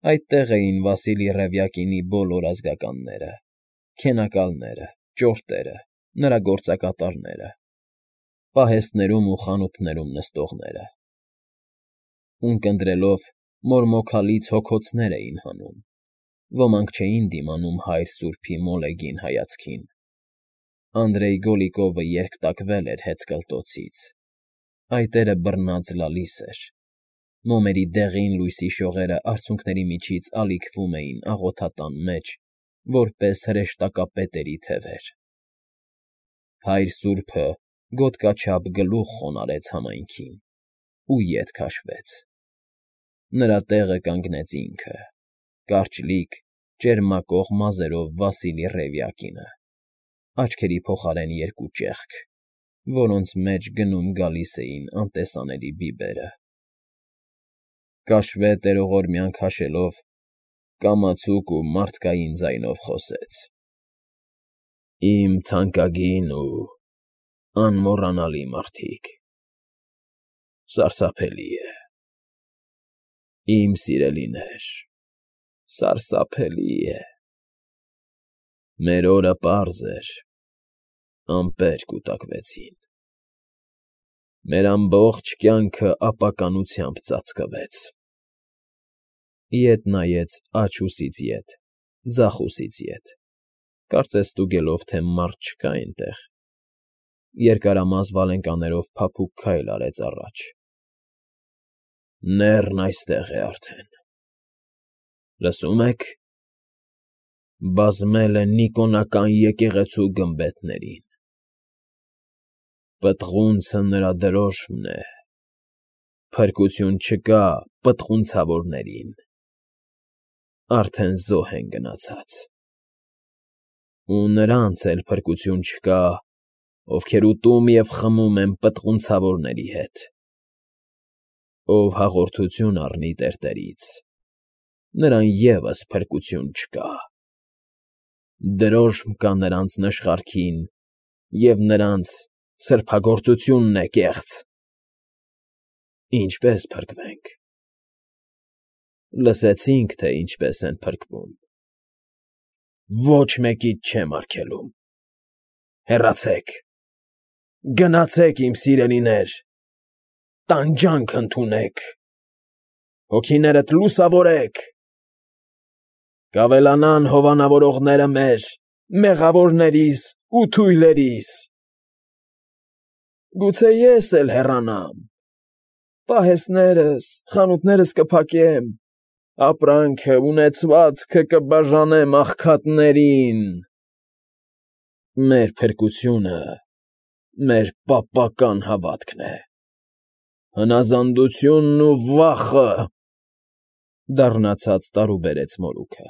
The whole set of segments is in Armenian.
Այդտեղ էին Վասիլի Ռևյակինի բոլոր ազգականները, քենակալները, ճորտերը, նրա գործակատարները, պահեստներում ու խանութներում նստողները. ունկնդրելով մորմոքալից հոգոցներ էին հանում, ոմանք չէին դիմանում հայր սուրբի մոլեգին հայացքին. Անդրեյ Գոլիկովը երկտակվել էր հեծկլտոցից, այտերը բռնած լալիս էր, մոմերի դեղին լույսի շողերը արցունքների միջից ալիքվում էին աղոթատան մեջ, որպես հրեշտակապետերի թևեր. հայր սուրբը գոտկաչափ գլուխ խոնարհեց համայնքին ու ետ քաշվեց. նրա տեղը կանգնեց ինքը, կարճլիկ, ճերմակող մազերով Վասիլի Ռևյակինը, աչքերի փոխարեն երկու ճեղք, որոնց մեջ գնում֊գալիս էին անտեսանելի բիբերը. կաշվե տերողորմյան քաշելով, կամացուկ ու մարդկային ձայնով խոսեց. Իմ թանկագին ու անմոռանալի մարդիկ, սարսափելի է, իմ սիրելիներ, սարսափելի է, մեր օրը պարզ էր, ամպեր կուտակվեցին, մեր ամբողջ կյանքը ապականությամբ ծածկվեց. Ետ նայեց աջ ուսից ետ, ձախ ուսից ետ, կարծես ստուգելով, թե մարդ չկա այնտեղ, երկարամազ վալենկաներով փափուկ քայլ արեց առաջ. Նեռն այստեղ է արդեն, լսում եք, բազմել է Նիկոնական եկեղեցու գմբեթներին, պտղունցը նրա դրոշմն է, փրկություն չկա պտղունցավորներին, արդեն զոհ են գնացած, ու նրանց էլ փրկություն չկա, ովքեր ուտում և խմում են պտղունցավորների հետ, ով հաղորդություն առնի տերտերից, նրան ևս փրկություն չկա, դրոշմ կա նրանց նշխարքին և նրանց սրբագործությունն է կեղծ, ինչպե՞ս փրկվենք, լսեցինք, թե ինչպես են փրկվում, ոչ մեկից չեմ արգելում, հեռացեք, գնացեք, իմ սիրելիներ, տանջանք ընդունեք, հոգիներդ լուսավորեք, կավելանան հովանավորողները մեր, մեղավորներիս ու թույլերիս, գուցե ես էլ հեռանամ, պահեստներս, խանութներս կփակեմ, ապրանքը, ունեցվածքը կբաժանեմ աղքատներին, մեր փրկությունը մեր պապական հավատքն է, հնազանդությունն ու վախը, դառնացած տարուբերեց մորուքը,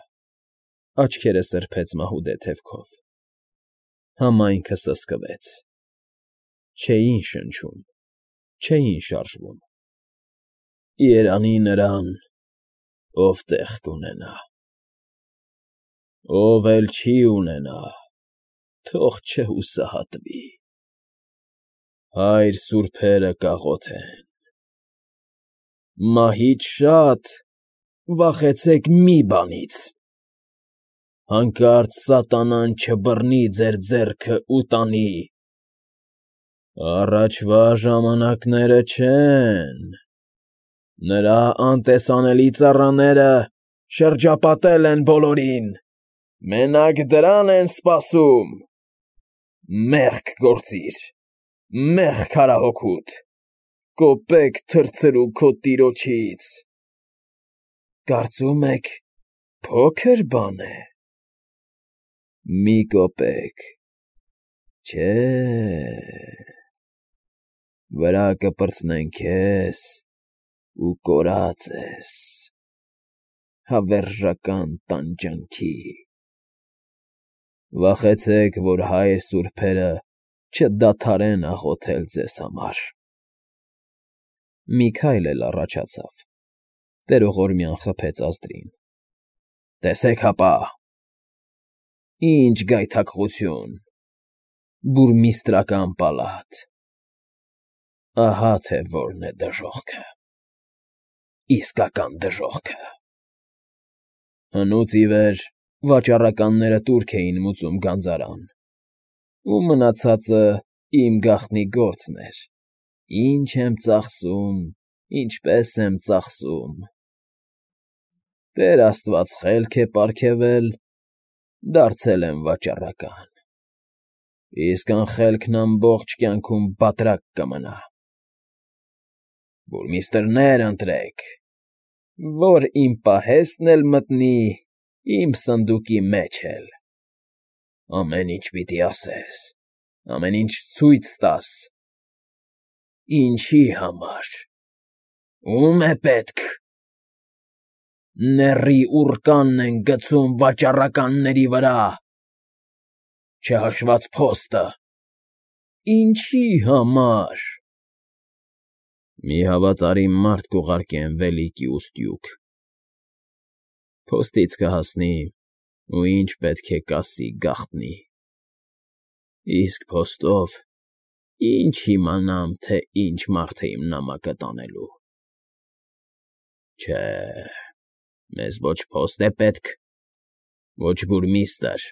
աչքերը սրբեց մահուդե թևքով, համայնքը սսկվեց, չէին շնչում, չէին շարժվում, երանի նրան, ով տեղ կունենա, ով էլ չի ունենա, թող չհուսահատվի, հայր սուրբերը կաղոթեն, մահից շատ վախեցեք մի բանից, հանկարծ սատանան չբռնի ձեր ձեռքը ու տանի, առաջվա ժամանակները չեն, նրա անտեսանելի ծառաները շրջապատել են բոլորին, մենակ դրան են սպասում, մեղք գործիր, մեղք արա հոգուդ, կոպեկ թրցրու քո տիրոջից, կարծում եք փոքր բան է, մի կոպեկ, չէ, վրա կպրծնեն քեզ ու կորած ես, հավերժական տանջանքի, վախեցեք, որ հայր սուրբերը չդադարեն աղոթել ձեզ համար, մի քայլ էլ առաջացավ, տերողորմյան խփեց ազդրին, տեսեք հապա, ինչ գայթակղություն, բուրմիստրական պալատ, ահա թե որն է դժոխքը, իսկական դժոխքը, Հնուց ի վեր վաճառականները տուրք էին մուծում գանձարան, ու մնացածը իմ գաղտնի գործն էր. ինչ եմ ծախսում, ինչպես եմ ծախսում… Տեր աստված խելք է պարգևել, դարձել եմ վաճառական, իսկ անխելքն ամբողջ կյանքում բատրակ կմնա… Բուրմիստրներ ընտրեք, որ իմ պահեստն էլ մտնի, իմ սնդուկի մեջ էլ… Ամեն ինչ պիտի ասես, ամեն ինչ ցույց տաս… Ինչի համար, ո՞ւմ է պետք… Նեռի ուռկանն են գցում վաճառականների վրա, չհաշված փոստը… Ինչի համար… Մի հավատարիմ մարդ կուղարկեմ վելիքի ուստյուկ, փոստից կհասնի ու ինչ պետք է կասի գաղտնի, իսկ փոստով ինչ իմանամ, թե ինչ մարդ է իմ նամակը տանելու… Չէ, մեզ ոչ փոստ է պետք, ոչ բուրմիստր,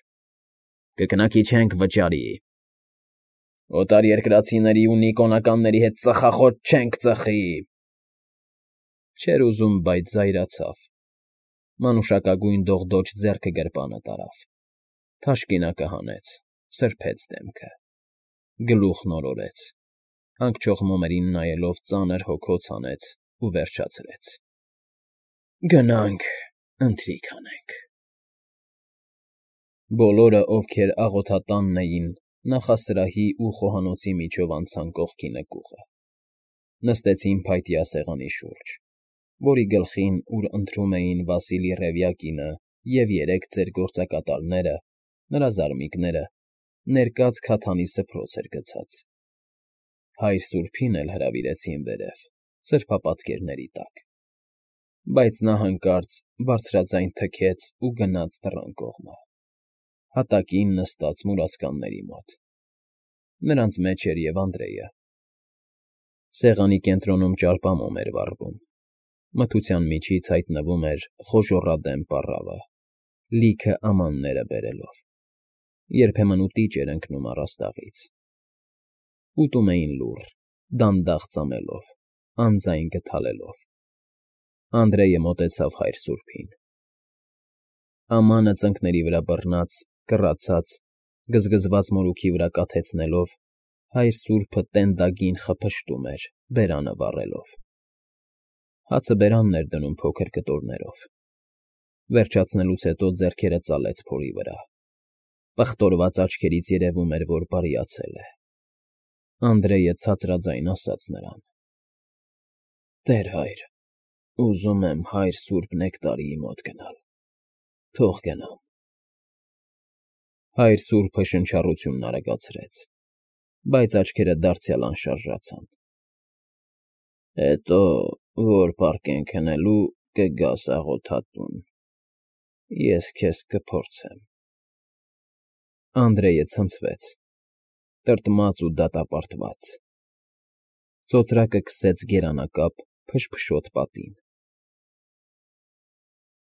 կքնակի չենք վճարի, օտարերկրացիների ու նիկոնականների հետ ծխախոտ չենք ծխի… Չէր ուզում, բայց զայրացավ, մանուշակագույն դողդոջ ձեռքը գրպանը տարավ, թաշկինակը հանեց, սրբեց դեմքը, գլուխն օրորեց, հանգչող մոմերին նայելով ծանր հոգոց հանեց ու վերջացրեց. Գնանք, ընթրիք անենք… Բոլորը, ովքեր աղոթատանն էին, նախասրահի ու խոհանոցի միջով անցան կողքի նկուղը, նստեցին փայտյա սեղանի շուրջ, որի գլխին, ուր ընթրում էին Վասիլի Ռևյակինը և երեք ծեր գործակատարները, նրա զարմիկները, ներկած քաթանի սփռոց էր գցած. հայր սուրբին էլ հրավիրեցին վերև, սրբապատկերների տակ, բայց նա հանկարծ բարձրաձայն թքեց ու գնաց դռան կողմը, հատակին նստած մուրացկանների մոտ. նրանց մեջ էր և Անդրեյը. սեղանի կենտրոնում ճարպամոմ էր վառվում, մթության միջից հայտնվում էր խոժոռադեմ պառավը, լիքը ամանները բերելով, երբեմն ուտիճ էր ընկնում առաստաղից… Ուտում էին լուռ, դանդաղ ծամելով, անձայն գդալելով… Անդրեյը մոտեցավ հայր սուրբին. ամանը ծնկների վրա բռնած, կռացած, գզգզված մորուքի վրա կաթեցնելով, հայր սուրբը տենդագին խփշտում էր, բերանը վառելով… Հացը բերանն էր դնում փոքր կտորներով, վերջացնելուց հետո ձեռքերը ծալեց փորի վրա, պղտորված աչքերից երևում էր, որ բարիացել է… Անդրեյը ցածրաձայն ասաց նրան. Տեր հայր, ուզում եմ հայր սուրբ Նեկտարիի մոտ գնալ, թող գնամ… Հայր սուրբը շնչառությունն արագացրեց, բայց աչքերը դարձյալ անշարժացան… Հետո, որ պառկենք քնելու, կգաս աղոթատուն, ես քեզ կփորձեմ… Անդրեյը ցնցվեց, տրտմած ու դատապարտված… Ծոծրակը քսեց գերանակապ, փշփշոտ պատին,